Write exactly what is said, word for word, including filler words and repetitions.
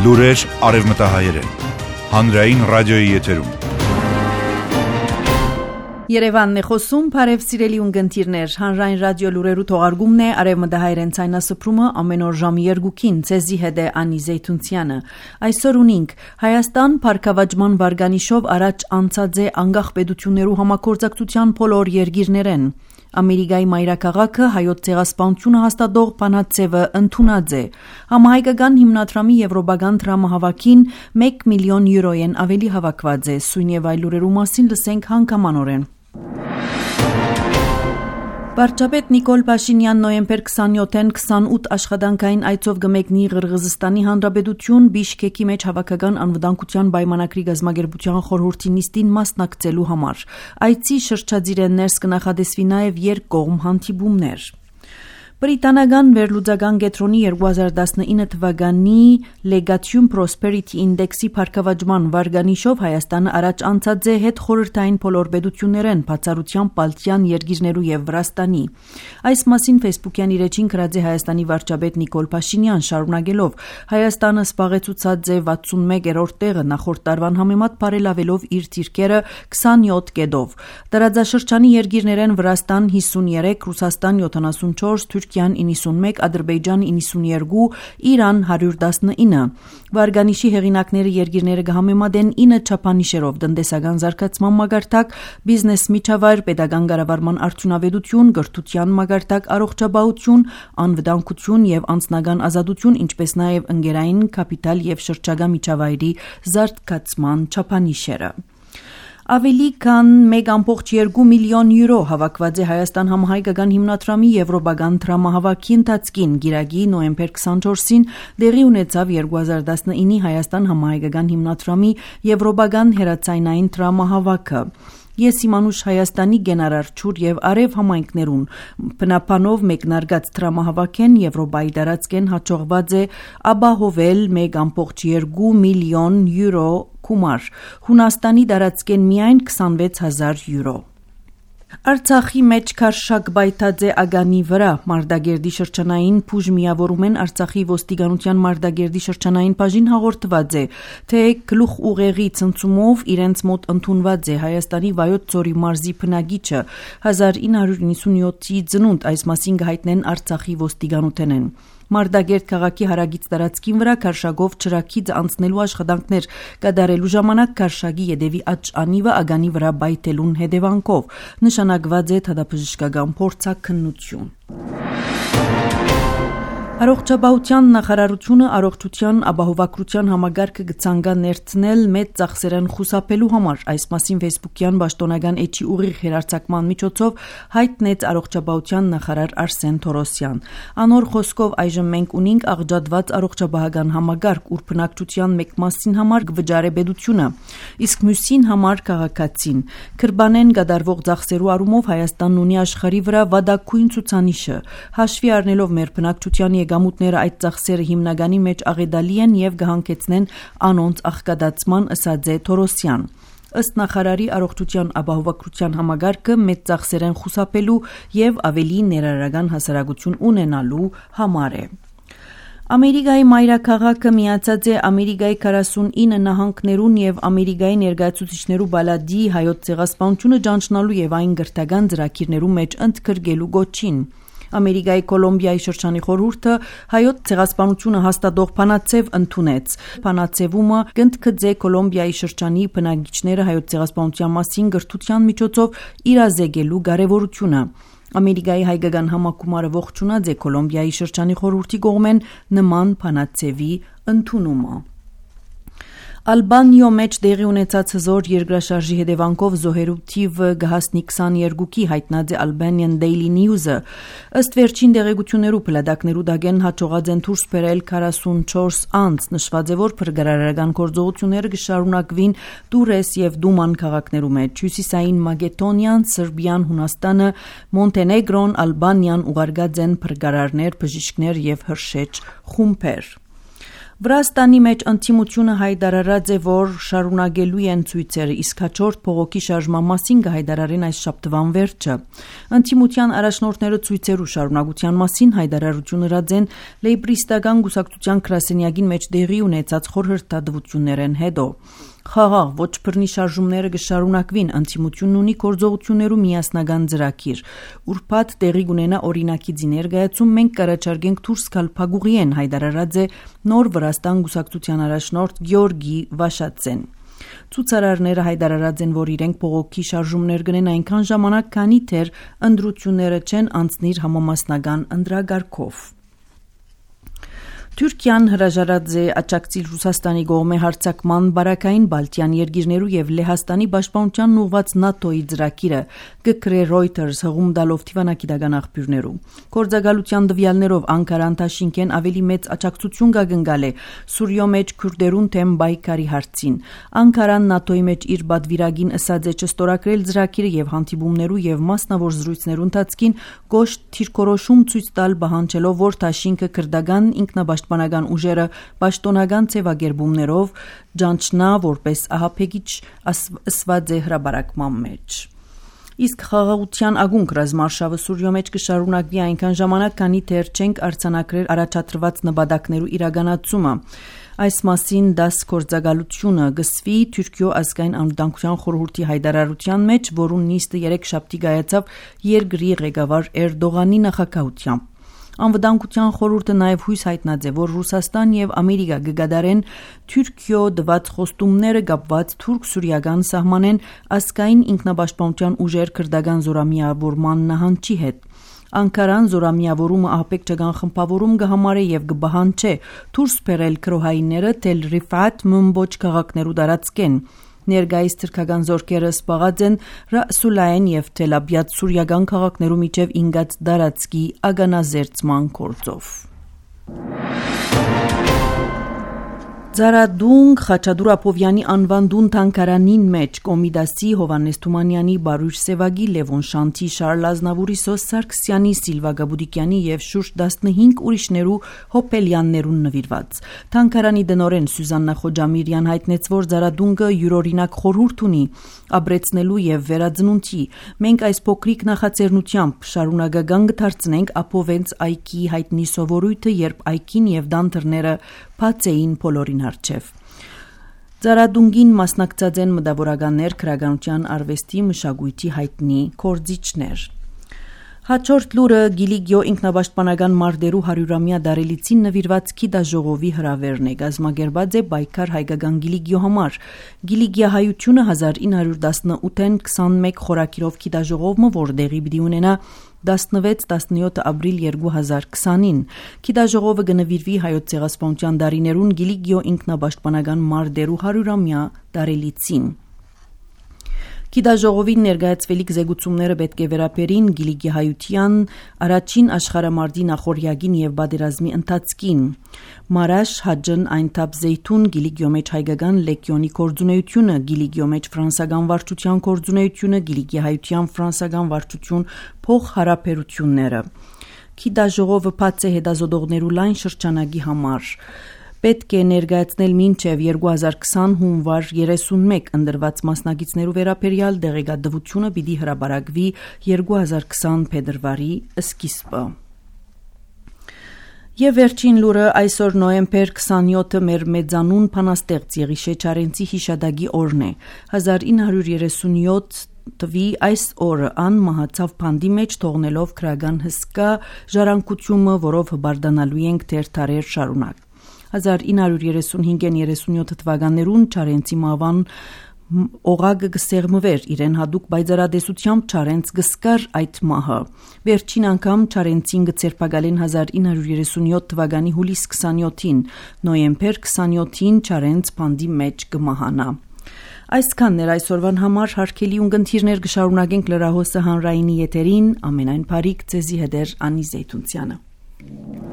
Լուրեր արևմտահայերեն, հանրային ռադիոյի եթերում։ Երևանն է խոսում, բարև սիրելի ունգընտիրներ, հանրային ռադիո լուրերու թողարկումն է արևմտահայերեն ցայնասփռումը ամեն օր ժամի երկուքին, ցեզի հետ է Անի Զեյթունցյանը։ Այսօր ունենք Հայաստան փառքավաճման վարգանիշով առաջ անցած է անկախ պետություններու համագործակցության բոլոր երկիրներեն։ Ամերիկայի մայրաքաղաքը հայոց ցեղասպանությունը հաստատող բանաձևը ընդունած է։ Համահայկական հիմնադրամի եվրոպական դրամահավաքին մեկ միլիոն յուրոյեն ավելի հավաքված է։ Սույն եւ այլ լուրերու մասին լսենք հանգամանորեն։ Վարչապետ Նիկոլ Փաշինյան նոյեմբեր քսանյոթին քսանութ աշխատանքային այցով գմեկնի Ղրղըզստանի Հանրապետություն Բիշկեկի մեջ հավաքական անվտանգության պայմանագրի գազագերբության խորհրդի նիստին մասնակցելու համար։ Այցի շրջադիր ներս կնախադեсվի նաև երկկողմ հանդիպումներ։ Բրիտանական վերլուծական կենտրոնի երկու հազար տասնինը թվականի Legatum Prosperity Index-ի փառքավաճման վարգանիշով Հայաստանը առաջ անցած է հետ խորհրդային բոլոր պետություններեն, բացառությամբ Բալտյան երկիրներու եւ Վրաստանի։ Այս մասին Facebook-յան իր էջին գրած է Հայաստանի վարչապետ Նիկոլ Փաշինյան, շարունակելով. Հայաստանը սպաղեցուցած է վաթսունմեկերորդ տեղը նախորդ տարվան համեմատ բարելավելով իր դիրքերը քսանյոթ կետով։ Տարածաշրջանի երկիրներեն Վրաստան հիսունյոթ, Ռուսաստան յոթանասունչորս, Թուրքիան իննսունմեկ, Ադրբեջան իննսունյոթ, Իրան հարյուր տասնինը։ Վարգանիշի հեղինակները երկիրները կհամեմատեն ինը չափանիշերով՝ տնտեսական զարգացման մակարդակ, բիզնես միջավայր, պետական կառավարման արդյունավետություն, կրթության մակարդակ, առողջապահություն, անվտանգություն եւ անձնական ազատություն, ինչպես նաեւ ընկերային կապիտալ եւ շրջակա միջավայրի զարգացման չափանիշերը։ Ավելի քան մեկ կόμma երկու միլիոն յուրո հավաքված է Հայաստան համահայկական հիմնադրամի եվրոպական դրամահավաքի ընթացքին։ Գիրագի նոյեմբեր քսանչորսին դեղի ունեցավ երկու հազար տասնինի Հայաստան համահայկական հիմնադրամի եվրոպական հերացայնային դրամահավաքը։ Ես իմանուշ Հայաստանի գենարարչուր եւ արև համայնքներուն բնապանով մեկնարկած դրամահավաքեն Եվրոպայի տարածքեն հաջողված է ապահովել մեկ կόμma երկու միլիոն յուրո գումար, Հունաստանի տարածքեն միայն քսանվեց հազար յուրո։ Արցախի մեջ քարշակ բայթաձե ագանի վրա Մարտակերտի շրջանային փուժ միավորում են Արցախի ոստիկանության Մարտակերտի շրջանային բաժին հաղորդված է, թե գլուխ ուղեղի ցնցումով իրենց մոտ ընդունված է Հայաստանի Վայոց ձորի մարզի բնակիչը հազար ինը հարյուր իննսունյոթի ծնունդ, այս մասին կհայտնեն Արցախի ոստիկանութենեն։ Մարտակերտ քաղաքի հարագից տարածքին վրա քարշակով ճրագից անցնելու աշխատանքներ կատարելու ժամանակ քարշակի ետևի աջ անիվը ագանի վրա բայթելուն հետևանքով նշանակված է թադապժշկական փորձաքննություն։ Առողջապահության նախարարությունը առողջության ապահովագրության համագարկը կցանկա ներդնել մեծ ծախսերն խուսափելու համար։ Այս մասին Facebook-յան պաշտոնական էջի ուղիղ հերարցակման միջոցով հայտնեց առողջապահության նախարար Արսեն Թորոսյան։ Անոր խոսքով այժմ մենք ունենք աղջատված առողջապահական համագարկ, ուր բնակչության մեկ մասին համար կվճարե պետությունը, իսկ մյուսին համար քաղաքացին։ Քրբանեն կատարվող ծախսերու առումով Հայաստանն ունի աշխարհի վրա վատագույն ցուցանիշը։ Հաշվի առնելով մեր բնակչության գամուտները այդ ծախսերը հիմնականի մեջ աղետալի են եւ կհանգեցնեն անոնց աղքատացման, ըսած է Թորոսյան։ Ըստ նախարարի առողջության ապահովագրության համագարկը մեծ ծախսերեն խուսափելու եւ ավելի ներառական հասարակություն ունենալու համար է։ Ամերիկայի մայրաքաղաքը միացած է Ամերիկայի քառասունինը նահանգներուն եւ Ամերիկայի ներկայացուցիչներու բալադի հայոց ցեղասպանությունը ճանչնալու եւ այն գրթական ծրագիրներու մեջ ընդգրկելու գոչին։ Ամերիկայի Կոլումբիայի շրջանի խորհուրդը հայոց ցեղասպանությունը հաստատող բանաձև ընդունեց։ Բանաձևումը կընդգծե Կոլումբիայի շրջանի բնակիչները հայոց ցեղասպանության մասին գրթության միջոցով իրազեկելու կարևորությունը։ Ամերիկայի հայկական համակումարը ողջունած է Կոլումբիայի շրջանի խորհրդի կողմեն նման բանաձևի ընդունումը։ Ալբանիո մեջ դեղի ունեցած հզոր երկրաշարժի հետևանքով զոհերու թիվը կհասնի քսաներկուի, հայտնած է Albanian Daily News-ը։ Ըստ վերջին տեղեկություններու փլատակներու դագեն հաջողած են դուրս բերել քառասունչորս անձ, նշված է, որ փրկարարական գործողությունները կշարունակվին Դուրես եւ Դուման քաղաքներու մեջ։ Հյուսիսային Մակեդոնիան, Սերբիան, Հունաստանը, Մոնտենեգրոն, Ալբանիան ուղարկած են փրկարարներ, բժիշկներ եւ հրշեջ խումբեր։ Վրաստանի մեջ ընդդիմությունը հայտարարած է, որ շարունակելու են ցույցերը, իսկ հաջորդ փողոքի շարժման մասին կհայտարարեն այս շաբթվան վերջը։ Ընդդիմության առաջնորդները ցույցերու շարունակության մասին հայտարարություն ըրած են լեյբրիստական կուսակցության գրասենյակին մեջ տեղի ունեցած խորհրդատվություններեն հետո։ Խաղաղ ոչ բռնի շարժումները կշարունակվին, ընդդիմությունն ունի գործողություններու միասնական ծրագիր։ Ուրբաթ տեղի կունենա օրինակի ներկայացում, մենք կառաջարկենք դուրս գալ փակուղիեն, հայտարարած է նոր Վրաստան կուսակցության առաջնորդ Գյորգի Վաշացեն։ Ցուցարարները հայտարարած են, որ իրենք փողոքի շարժումներ կնեն այնքան ժամանակ, քանի դեռ ընտրությունները չեն անցնիր համամասնական ընտրագարկով։ Թուրքիան հրաժարած է աջակցել Ռուսաստանի կողմէ հարձակման բարակային Բալտյան երկիրներու եւ Լեհաստանի պաշտպանությանն ուղղված ՆԱՏՕ-ի ծրագիրը, կգրե Reuters հղում տալով թիվանակիտական աղբյուրներու։ Գործակալության տվյալներով Անկարան Թաշինքեն ավելի մեծ աջակցություն կգնկալ է Սուրիո մեջ քուրդերուն թեմ բայկարի հարցին։ Անկարան ՆԱՏՕ-ի մեջ իր բադվիրագին ըսած է չստորագրել ծրագիրը եւ հանդիպումներու եւ մասնավոր զրույցներու ընթացքին կոշտ թիրքորոշում ցույց տալ պահանջելով, որ Թաշինքը քրդական ինքնապաշտպանական ուժերը պաշտոնական ձևակերպումներով ջանչնա որպես ահաբեկիչ ասված է հրաբարակման մեջ։ Իսկ խաղաղության ագունք ռազմարշավը Սուրիո մեջ կշարունակվի այնքան ժամանակ, քանի դեռ չենք արձանագրել առաջադրված նպատակներու իրականացումը։ Այս մասին դաս գործակալությունը գսվի Թուրքիո ազգային անվտանգության խորհրդի հայտարարության մեջ, որուն նիստը երեքշաբթի կայացավ երկրի ղեկավար Էրդողանի նախագահությամբ։ Անվտանգության խորհուրդը նաև հույս հայտնած է, որ Ռուսաստան եւ Ամերիկա կգադարեն Թուրքիո դված խոստումները կապված թուրք-սուրիական սահմանեն ազգային ինքնապաշտպանության ուժեր քրդական զորամիավորման նահանջի հետ։ Անկարան զորամիավորումը ահաբեկչական խմբավորում կհամարե եւ կբահանջե դուրս բերել քրոհայինները Թել Ռիֆատ մմբոչ քաղաքներու տարածքեն։ Ներկայիս թուրքական զորքերը սպաղած են Ռասուլային եւ Թել Աբիադ սուրիական քաղաքներու միջև ինգած դարածքի ագանազերծման գործով։ Ձարադունգ Խաչատուր Ապովյանի անվան դուն թանկարանին մեջ Կոմիդասի Հովանես Թումանյանի Բարույր Սևագի Լևոն Շանթի Շարլ Ազնավուրի Սոս Սարգսյանի Սիլվա Գաբուդիկյանի եւ շուրջ տասնհինգ ուրիշներու հոպելյաններուն նվիրված թանկարանի դնորեն Սյուզաննա Խոջամիրյան հայտնեց, որ Ձարադունգը յուրօրինակ խորհուրդ ունի ապրեցնելու եւ վերածնունդի։ Մենք այս փոքրիկ նախաձեռնությամբ շարունակական կդարձնենք Ապովենց այգի հայտնի սովորույթը, երբ այգին եւ դանթերները բաց էին բոլորին հարչև։ Ձարադունգին մասնակցած են մտավորականներ, քրագանության արվեստի մշակույթի հայտնի կորձիչներ։ Հաջորդ լուրը Գիլիգիո ինքնապաշտպանական մարտերու հարյուրամյա դարելիցին նվիրված գիտաժողովի հրավերն է, կազմակերպած է պայքար հայկական Գիլիգիո համար։ Գիլիգիահայությունը հազար ինը հարյուր տասնութին քսանմեկ խորակիրով գիտաժողովը, որ տեղի պիտի ունենա տասնվեց տասնյոթ ապրիլ երկու հազար քսանին։ Գիտաժողովը կնվիրվի հայոց ցեղասպանության դարիներուն Գիլիգիո ինքնապաշտպանական մարտերու հարյուրամյա դարելիցին։ Գիտաժողովին ներկայացվելիք զեկուցումները պետք է վերաբերին Գիլիգիահայության առաջին աշխարհամարտի նախորյակին եւ պատերազմի ընթացքին։ Մարաշ Հաջն Այնթաբ Զեյթուն Գիլիգիո մեջ հայկական լեգիոնի կորձունեությունը, Գիլիգիո մեջ ֆրանսական վարչության կորձունեությունը, Գիլիգիահայության ֆրանսական վարչություն փոխհարաբերությունները։ Գիտաժողովը բաց է հետազոտողներու լայն շրջանակի համար։ Պետք է ներկայացնել մինչև երկու հազար քսան հունվար երեսունմեկ ընդրված մասնակիցներու վերաբերյալ դեղեկատվությունը պիտի հրապարակվի երկու հազար քսան փետրվարի սկիզբը։ Եվ վերջին լուրը այսօր նոյեմբեր քսանյոթը մեր մեծանուն փանաստեղծ Եղիշե Չարենցի հիշադակի օրն է։ հազար ինը հարյուր երեսունյոթ Տվի այս օրը ան մահացավ փանդի մեջ թողնելով քրական հսկա ժառանգությունը, որով հբարդանալու ենք դեռ տարեր շարունակ։ հազար ինը հարյուր երեսունհինգ երեսունյոթ թվականներուն Չարենցի մահվան օղակը գսեղմվեր իրեն հadouk բայձարադեսությամբ Չարենց գսկար այդ մահը։ Վերջին անգամ Չարենցին գցերպակալեն հազար ինը հարյուր երեսունյոթ թվականի հուլիս քսանյոթին, նոյեմբեր քսանյոթին Չարենց փանդի մեջ կմահանա։ Այսքանն էր այսօրվան համար, հարգելի ունկնդիրներ, կշարունակենք լրահոսը հանրայինի եթերին, ամենայն բարիք ձեզի հետ էր Անի Զեյթունցյանը։